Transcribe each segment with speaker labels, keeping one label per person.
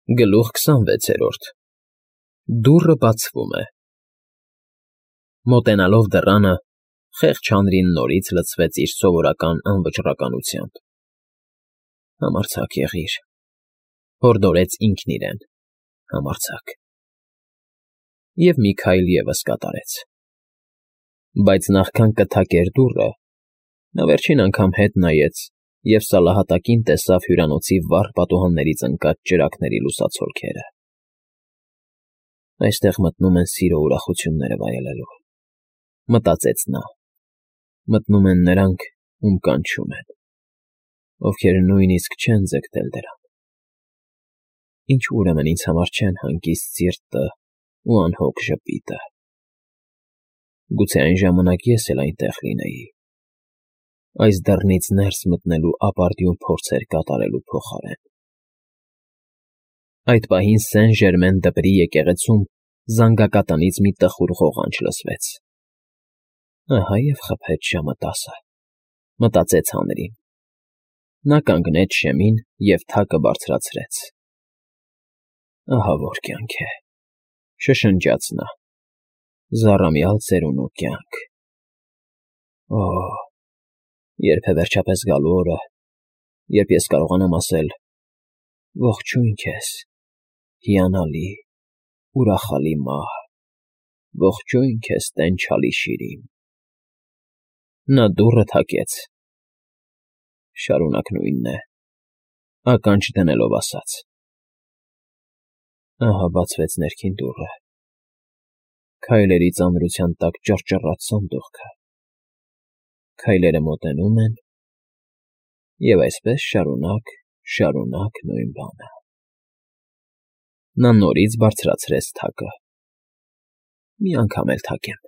Speaker 1: Գլուխ 26 Դուռը բացվում է։ Մոտենալով դռանը, խեղճ հանրին նորից լցվեց իր սովորական անվճռականությամբ։ Համարձակ եղիր, հորդորեց ինքն իրեն, համարձակ։ Եվ մի քայլ ևս կատարեց։ Բայց նախքան կթակեր դուռը, նա վերջին անգամ հետ նայեց և սալահատակին տեսավ հյուրանոցի վառ պատուհաններից ընկած ճրագների լուսացոլքերը։ Այստեղ մտնում են սիրո ուրախությունները վայելելու, մտածեց նա, մտնում են նրանք, ում կանչում են, ովքեր նույնիսկ չեն ձգտել դրան։ Ինչու ուրեմն ինձ համար չեն հանգիստ սիրտը ու անհոգ ժպիտը։ Գուցե այն ժամանակ ես էլ այնտեղ լինեի, այս դռնից ներս մտնելու ապարդյուն փորձեր կատարելու փոխարեն։ Այդ պահին Սեն֊Ժերմեն դպրի եկեղեցում զանգակատնից մի տխուր ղողանջ լսվեց։ Ահա և խփեց ժամը 10, մտածեց հանրին։ Նա կանգնեց շեմին և թակը բարձրացրեց։ Ահա որ կյանք է, շշնջաց նա, զառամյալ ծերունու կյանք։ Օհ, երբ է վերջապես գալու օրը, երբ ես կարողանամ ասել. «Ողջույն քեզ, հիանալի, ուրախալի մահ, ողջույն քեզ, տենչալի շիրիմ»։ Նա դուռը թակեց։ Շարունակ նույնն է, ականջ դնելով ասաց. Ահա բացվեց ներքին դուռը, քայլերի ծանրության տակ ճռճռաց սանդուղքը, քայլերը մոտենում են, և այսպես շարունակ նույն բանը։ Նա նորից բարձրացրեց թակը։ Մի անգամ էլ թակեմ,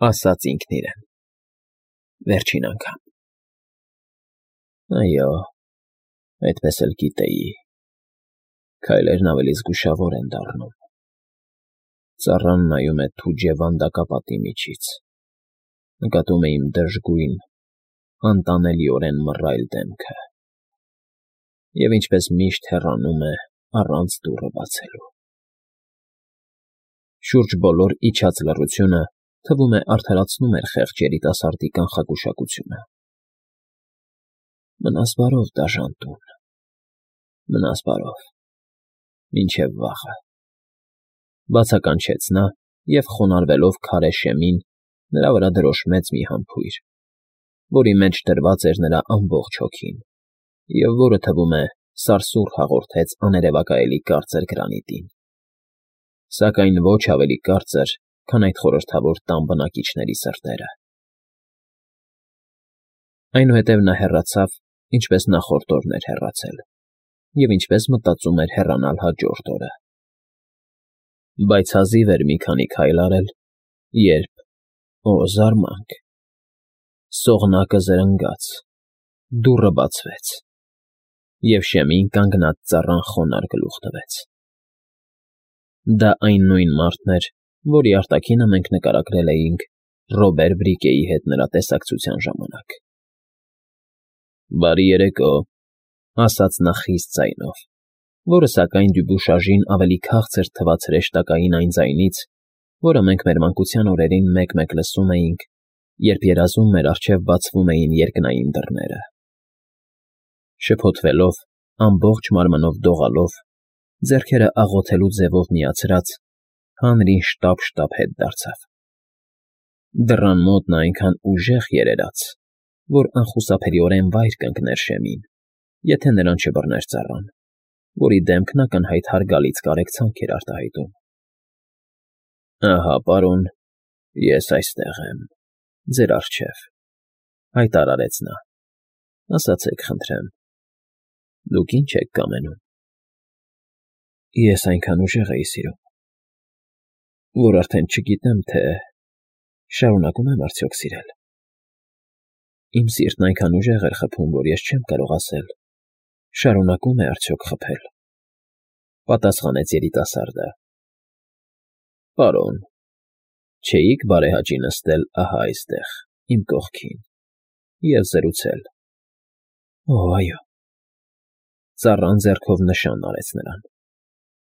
Speaker 1: ասաց ինքն իրեն, վերջին անգամ։ Այո, այդպես էլ գիտեի, քայլերն ավելի զգուշավոր են դառնում։ Ծառան նայում է թուջ և վանդակապատի միջից, նկատում է իմ դժգույն, անտանելիորեն մռայլ դեմքը, և ինչպես միշտ հեռանում է առանց դուռը բացելու։ Շուրջ բոլոր իջած լռությունը, թվում է, արդարացնում էր խեղճ երիտասարդի կանխագուշակությունը։ Մնաս բարով, դաժան տուն, մնաս բարով, մինչև վաղը, բացականչեց նա և խոնարհվելով քարե շեմին, նրա վրա դրոշմեց մի համբույր, որի մեջ դրված էր նրա ամբողջ հոգին, և որը, թվում է, սարսուռ հաղորդեց աներևակայելի կարծր գրանիտին, սակայն ոչ ավելի կարծր, քան այդ խորհրդավոր տան բնակիչների սրտերը։ Այնուհետև նա հեռացավ, ինչպես նախորդ օրն էր հեռացել, և ինչպես մտածում էր հեռանալ հաջորդ օրը։ Բայց հազիվ էր մի քանի քայլ արել, երբ, օ զարմանք, սողնակը զրնգաց, դուռը բացվեց, և շեմին կանգնած ծառան խոնարհ գլուխ տվեց։ Դա այն նույն մարդն էր, որի արտաքինը մենք նկարագրել էինք Ռոբեր Բրիկեի հետ նրա տեսակցության ժամանակ։ Բարի երեկո, ասաց նա խիստ ձայնով, որը, սակայն, Դյուբուշաժին ավելի քաղցր թվաց հրեշտակային այն ձայնից, որը մենք մեր մանկության օրերին մեկ֊մեկ լսում էինք, երբ երազում մեր առջև բացվում էին երկնային դռները։ Շփոթվելով, ամբողջ մարմնով դողալով, ձեռքերը աղոթելու ձևով միացրած, հանրին շտապ֊շտապ հետ դարձավ։ Դռան մոտ նա այնքան ուժեղ երերաց, որ անխուսափելիորեն վայր կընկներ շեմին, եթե նրան չբռներ ծառան, որի դեմքն ակնհայտ հարգալից կարեկցանք էր արտահայտում։ Ահա, պարոն, ես այստեղ եմ, ձեր առջև, հայտարարեց նա, ասացեք, խնդրեմ, դուք ի՞նչ եք կամենում։ Ես այնքան ուժեղ էի սիրում, որ արդեն չգիտեմ, թե շարունակում եմ արդյոք սիրել։ Իմ սիրտն այնքան ուժեղ էր խփում, որ ես չեմ կարող ասել. շարունակում է արդյոք խփել, պատասխանեց երիտասարդը։ Պարոն, չէիք բարեհաճի նստել ահա այստեղ, իմ կողքին, և զրուցել։ Օ, այո։ Ծառան ձեռքով նշան արեց նրան։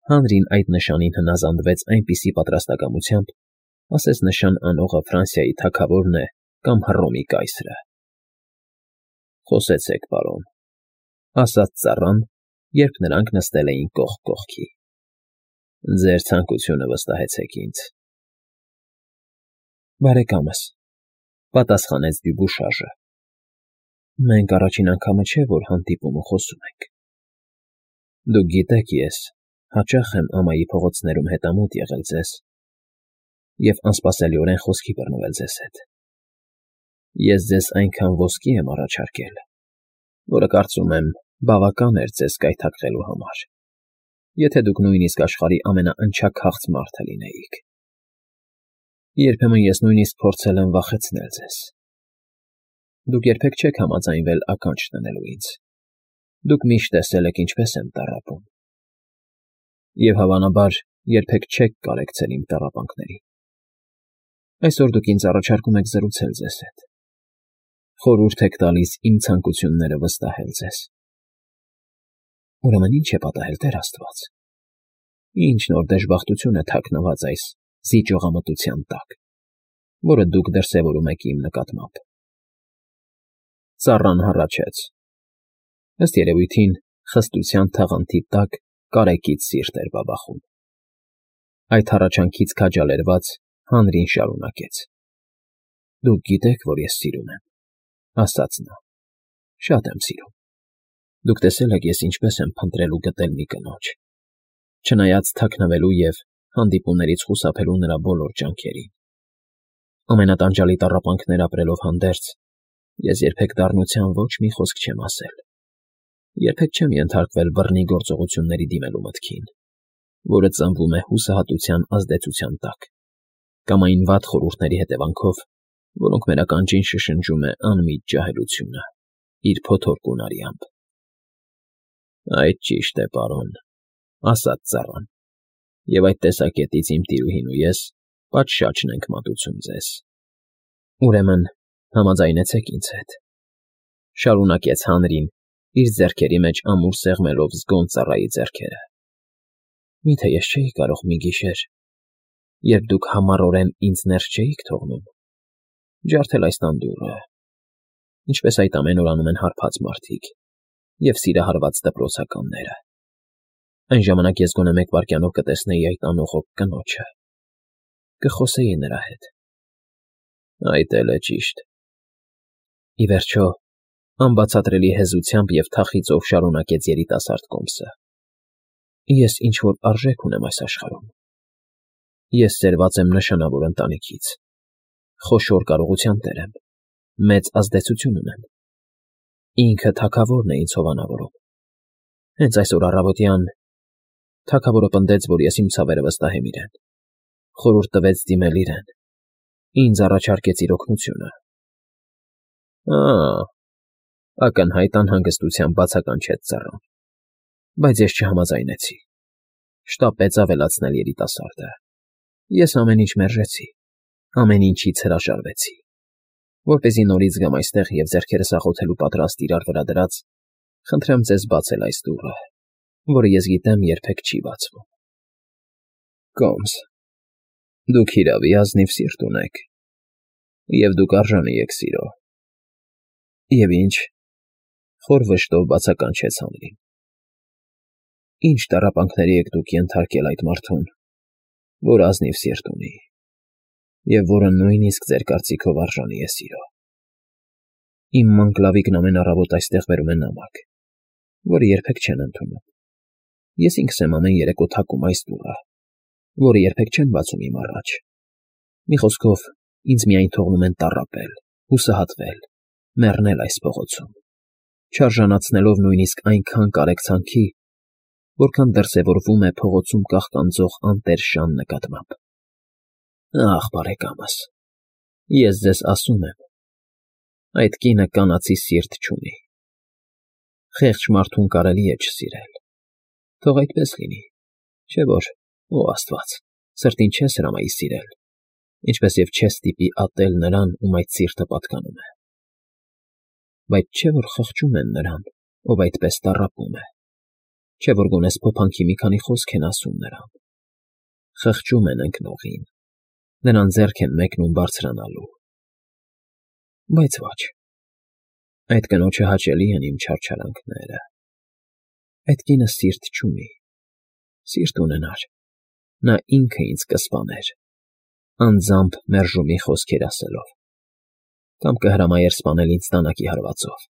Speaker 1: Հանրին այդ նշանին հնազանդվեց այնպիսի պատրաստակամությամբ, ասես նշան անողը Ֆրանսիայի թագավորն է կամ Հռոմի կայսրը։ Խոսեցեք, պարոն, ասաց ծառան, երբ նրանք նստել էին կողք կողքի։ Ձեր ցանկությունը վստահեցեք ինձ։ Բարեկամս, պատասխանեց Դյուբուշաժը, մենք առաջին անգամը չէ, որ հանդիպում ու խոսում ենք։ Դուք գիտեք, ես հաճախ եմ ամայի փողոցներում հետամուտ եղել ձեզ և անսպասելիորեն խոսքի բռնվել ձեզ հետ։ Ես ձեզ այնքան ոսկի եմ առաջարկել, որը կարծում եմ բավական էր ձեզ կայթակղելու համար, եթե դուք նույնիսկ աշխարհի ամենաընչաքաղց մարդը լինեիք։ Երբեմն ես նույնիսկ փորձել եմ վախեցնել ձեզ։ Դուք երբեք չեք համաձայնվել ականջ դնելու ինձ։ Դուք միշտ տեսել եք ինչպես եմ տառապում։ Եվ հավանաբար երբեք չեք կարեկցել իմ տառապանքներին։ Այսօր դուք ինձ առաջարկում եք զրուցել ձեզ հետ։ Խորհուրդ եք տալիս իմ ցանկությունները վստահել ձեզ։ Ուրեմն ի՞նչ է պատահել, Տեր Աստված։ Ինչ նոր դժբախտություն է թաքնված այս զիջողամտության տակ, որը դուք դրսևորում եք իմ նկատմամբ։ Ծառան հառաչեց։ Ըստ երևույթին, խստության թաղանթի տակ կարեկից սիրտ էր բաբախում։ Այդ հառաչանքից քաջալերված հանրին շարունակեց. Դուք գիտեք, որ ես սիրում եմ, ասաց նա, շատ եմ սիրում։ Դուք տեսել եք, ես ինչպես եմ փնտրել ու գտել մի կնոջ, չնայած թաքնվելու և հանդիպումներից խուսափելու նրա բոլոր ջանքերին։ Ամենատանջալի տառապանքներ ապրելով հանդերձ, ես երբեք դառնության ոչ մի խոսք չեմ ասել, երբեք չեմ ենթարկվել բռնի գործողությունների դիմելու մտքին, որը ծնվում է հուսահատության ազդեցության տակ, կամ այն վատ խորհուրդների հետևանքով, որոնք մեր ականջին շշնջում է անմիջ ջահելությունը, իր փոթորկուն արյամբ։ Այդ ճիշտ է, պարոն, ասաց ծառան, և այդ տեսակետից իմ տիրուհին ու ես պատշաճ ենք մատուցում ձեզ։ Ուրեմն համաձայնեցեք ինձ հետ, շարունակեց հանրին, իր ձեռքերի մեջ ամուր սեղմելով զգոն ծառայի ձեռքերը։ Միթե ես չէի կարող մի գիշեր, երբ դուք համառորեն ինձ ներս չէիք թողնում, ջարդել այս տան դուռը, ինչպես այդ ամեն օր անում են հարբած մարդիկ և սիրահարված դպրոցականները։ Այն ժամանակ ես գոնե մեկ վայրկյանով կտեսնեի այդ անողոք կնոջը, կխոսեի նրա հետ։ Այդ էլ է ճիշտ։ Ի վերջո, անբացատրելի հեզությամբ և թախիծով շարունակեց երիտասարդ կոմսը։ Ես ինչ-որ արժեք ունեմ այս աշխարհում։ Ես ծերված եմ նշանավոր ընտանիքից, խոշոր կարողության տեր եմ, մեծ ազդեցություն ունեմ։ Ինքը թագավորն է ինձ հովանավորում։ Հենց այսօր առավոտյան թագավորը պնդեց, որ ես իմ ցավերը վստահեմ իրեն, խորհուրդ տվեց դիմել իրեն, ինձ առաջարկեց իր օգնությունը։ Ակնհայտ անհանգստությամբ բացականչեց ծառան, բայց ես չհամաձայնեցի։ Շտապեց ավելացնել երիտասարդը։ Ես ամեն ինչ մերժեցի, ամեն ինչից հրաժարվեցի, որպեսզի նորից գամ այստեղ և ձեռքերս աղոթելու պատրաստ իրար վրա դրած, խնդրեմ ձեզ բացել այս դուռը, որը ես գիտեմ երբեք չի բացվում։ Կոմս, դուք հիրավի ազնիվ սիրտ ունեք, և դուք արժանի եք սիրո։ Եվ ինչ, խոր վշտով բացականչեց հանրին։ Ինչ տառապանքների եք դուք ենթարկել այդ մարդուն, որ ազնիվ սիրտ ունի, և որը նույնիսկ ձեր կարծիքով արժանի է սիրո։ Իմ մանկլավիկն ամեն առավոտ այստեղ բերում է նամակ, որը երբեք չեն ընդունում։ Ես ինքս եմ ամեն երեկո թակում այս դուռը, որը երբեք չեն բացում իմ առաջ։ Մի խոսքով, ինձ միայն թողնում են տառապել, հուսահատվել, մեռնել այս փողոցում, չարժանացնելով նույնիսկ այնքան կարեկցանքի, որքան դրսևորվում է փողոցում կաղկանձող անտեր շան նկատմամբ։ Ախ, բարեկամս, ես ձեզ ասում եմ, այդ կինը կանացի սիրտ չունի։ Խեղճ մարդուն կարելի է չսիրել։ Թող այդպես լինի, չէ՞ որ, ո Աստված, սրտին չես հրամայի սիրել, ինչպես և չես ստիպի ատել նրան, ում այդ սիրտը պատկանում է։ Բայց չէ՞ որ խղճում են նրան, ով այդպես տառապում է։ Չէ՞ որ գոնե փոփանքի մի քանի խոսք են ասում նրան, խղճում են ընկնողին, նրան ձեռք են մեկնում բարձրանալու… Բայց ոչ, այդ կնոջը հաճելի են իմ չարչարանքները… Այդ կինը սիրտ չունի, սիրտ ունենար, նա ինքը ինձ կսպաներ, անձամբ մերժումի խոսքեր ասելով, կամ կհրամայեր սպանել ինձ դանակի հարվածով,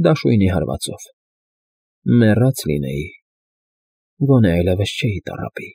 Speaker 1: դաշույնի հարվածով… Մեռած լինեի, գոնե այլևս չէի տառապի։